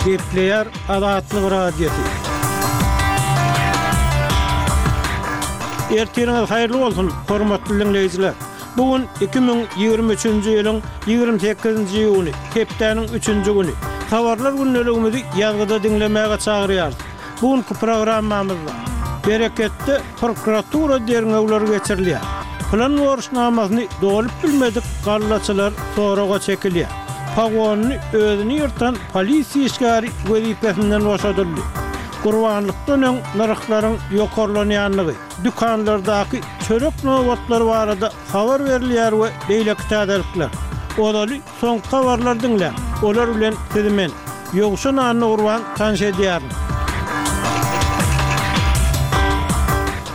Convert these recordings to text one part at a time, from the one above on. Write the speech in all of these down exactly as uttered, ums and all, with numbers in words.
Gepleýär Azatlyk Radiosy. Ertiriňiz haýyrly bolsun, hormatly diňleýjiler! Bu gün iki müň ýigrimi üçünji ýylyň ýigrimi sekizinji iýuny, hepdäniň üçünji güni. Habarlar gündeligimizi ýazgyda diňlemäge çagyrýarys. Bu günki programmamyzda Bereketde prokuratura derňewleri geçirilýär. Plan borçnamasyny dolup bilmedik gallaçylar soraga çekilýär. Pogonyny özüni ýyrtan polisiýa işgäri wezipesinden boşadyldy. Gurbanlykdan öň nyrhlaryň ýokarlanýandygy, dükanlardaky çörek nobatlary barada habar berilýär we beýleki täzelikler. Ozaly soňky habarlary diňläň, olar bilen sizi men, Ýowşan Annagurban tanyş edýärin.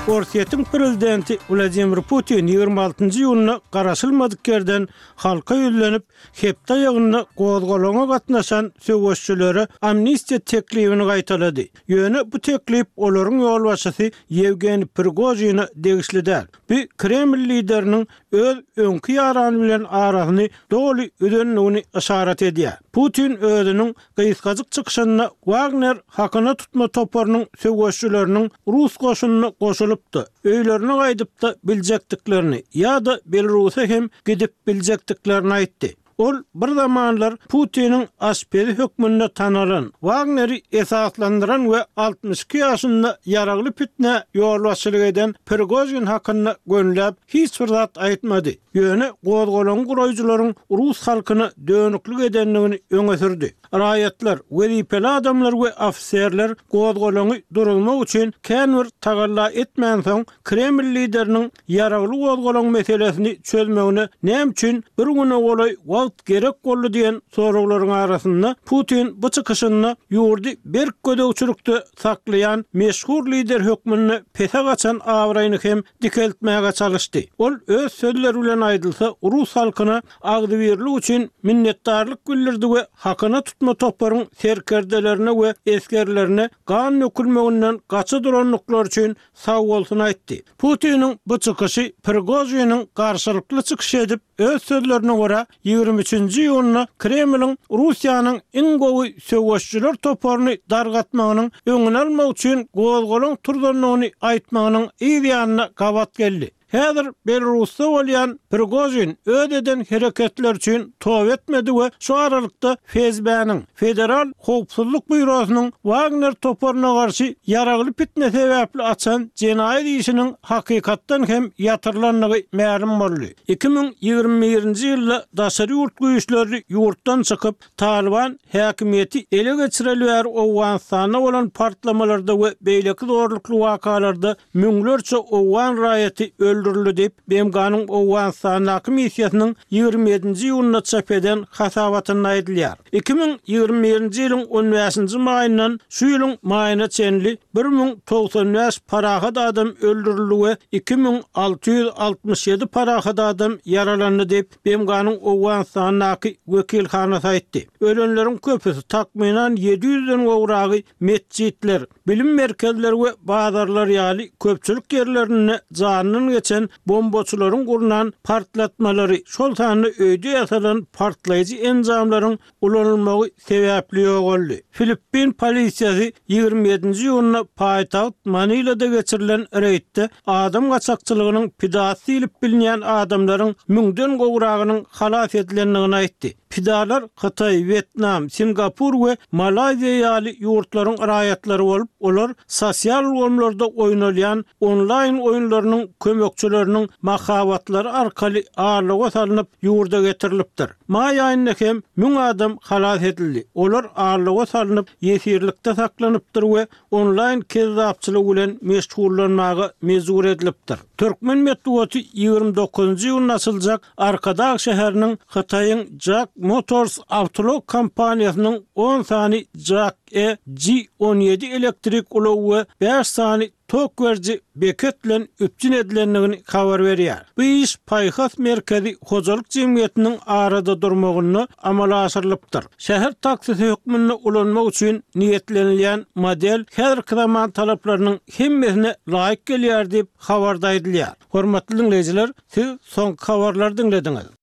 Orsýetiň prezidenti Wladimir Putin ýigrimi altynjy iýunda garaşylmadyk ýerden halka ýüzlenip, hepde aýagynda gozgalaňa gatnaşan söweşçilere amnistiýa teklibini gaýtalady. Ýöne bu teklip olaryň ýolbaşçysy Ýewgeniý Prigožine degişli däl. Bu Kreml lideriniň öz öňki ýarany bilen arasyny doly üzendigini yşarat edýär. Putin özüniň gysgajyk çykyşynda Wagner hakyna tutma toparynyň söweşçileriniň rus goşunyna goşulyp-da, öýlerine gaýdyp-da biljekdiklerini ýa-da Belarusa hem gidip biljekdiklerini aýtdy. Ol bir zamanlar Putiniň aşpezi hökmünde tanalan, Wagneri esaslandyran we altmyş iki ýaşynda ýaragly pitnä ýolbaşçylyk eden Prigožin hakynda gönüläp hiç bir zat aýtmady. Ýöne gozgalaňy guraýjylaryň rus halkyna dönüklik edendigini öňe sürdi. Raýatlar, wezipeli adamlar we ofiserler gozgalaňy duruzmak üçin kän bir tagalla etmänsoň, Kreml lideriniň ýaragly gozgalaň meselesini çözmegine näme üçin bir güne golaý wagt gerek boldy diýen soraglaryň arasynda Putin bu çykyşynda ýurdy berk gözegçilikde saklaýan meşhur lider hökmünde pese gaçan abraýyny hem dikeltmäge çalyşdy. Ol öz sözleri bilen aýdylsa, rus halkyna agzybirlik üçin minnetdarlyk bildirdi we hakyna tutma toparyň serkerdelerine we esgerlerine gan dökülmeginden gaça durandyklary üçin sagbolsun aýtdy. Putiniň bu çykyşy Prigožiniň garşylykly çykyş edip, öz sözlerine görä, ýigrimi üçünji iýunda Kremliň Russiýanyň iň gowy söweşijiler toparyny dargatmagynyň öňüni almak üçin gozgalaň turzandygyny aýtmagynyň yz ýanyna gabat geldi. Häzir Belarusda bolýan Prigožin öz eden hereketleri üçin toba etmedi we şu aralykda F S B-niň, Federal howpsuzlyk býurosynyň Wagner toparyna garşy ýaragly pitne sebäpli açan jenaýat işiniň hakykatdan hem ýatyrylandygy mälim boldy. Iki müň ýigrimi birinji ýylda daşary ýurt güýçleri ýurtdan çykyp, Talyban häkimiýeti ele geçireli bäri Owganystanda bolan partlamalarda we beýleki zorlukly wakalarda müňlerçe owgan raýaty öldürildi diýip, B M G-nyň Owganystandaky missiýasynyň ýigrimi ýedinji iýunda çap eden hasabatynda aýdylýar. Iki müň ýigrimi birinji ýylyň on bäşinji maýyndan şu ýylyň maýyna çenli bir müň togsan bäş parahat adam öldürildi we iki müň alty ýüz altmyş ýedi parahat adam ýaralandy diýip, B M G-nyň Owganystandaky wekilhanasy aýtdy. Ölenleriň köpüsi, takmynan ýedi ýüzden gowragy metjitler, bilim merkezleri we bazarlar ýaly köpçülik ýerlerinde janyndan geçen bombaçylaryň gurnan partlatmalary, şol sanda öýde ýasalan partlaýjy enjamlaryň ulanylmagy sebäpli ýogaldy. Filippin polisiýasy ýigrimi ýedinji iýunda paýtagt Manilada geçirilen reýdde adam gaçakçylygynyň pidasy diýlip bilinýän adamlaryň müňden gowragynyň halas edilendigini aýtdy. Pidalar Hytaý, Wýetnam, Singapur we Malaýziýa ýaly ýurtlaryň raýatlary bolup, olar sosial ulgamlarda oýnalýan onlaýn oýunlarynyň kömekçileriniň mahabatlary arkaly aldawa salnyp ýurda getirilipdir. Maý aýynda hem müň adam halas edildi. Olar aldawa salnyp, ýesirlikde saklanypdyr we onlaýn kezzapçylygy bilen meşgullanmaga mejbur edilipdir. Türkmen metbugaty ýigrimi dokuzynjy iýunda açyljak Arkadag şäheriniň Hytaýyň Jac Motors awtoulag kompaniýasynyň on sany Jac E G on ýedi elektrik ulagy we bäş sany tok beriji beket bilen üpjün edilendigini habar berýär. Bu iş Paýhas merkezi hojalyk jemgyýetiniň arada durmagynda amala aşyrylypdyr. Şäher taksisi hökmünde ulanmak üçin niýetlenilýän model häzirki zaman talaplarynyň hemmesine laýyk gelýär diýip, habarda aýdylýar. Hormatly diňleýjiler, siz soňky habarlary diňlediňiz.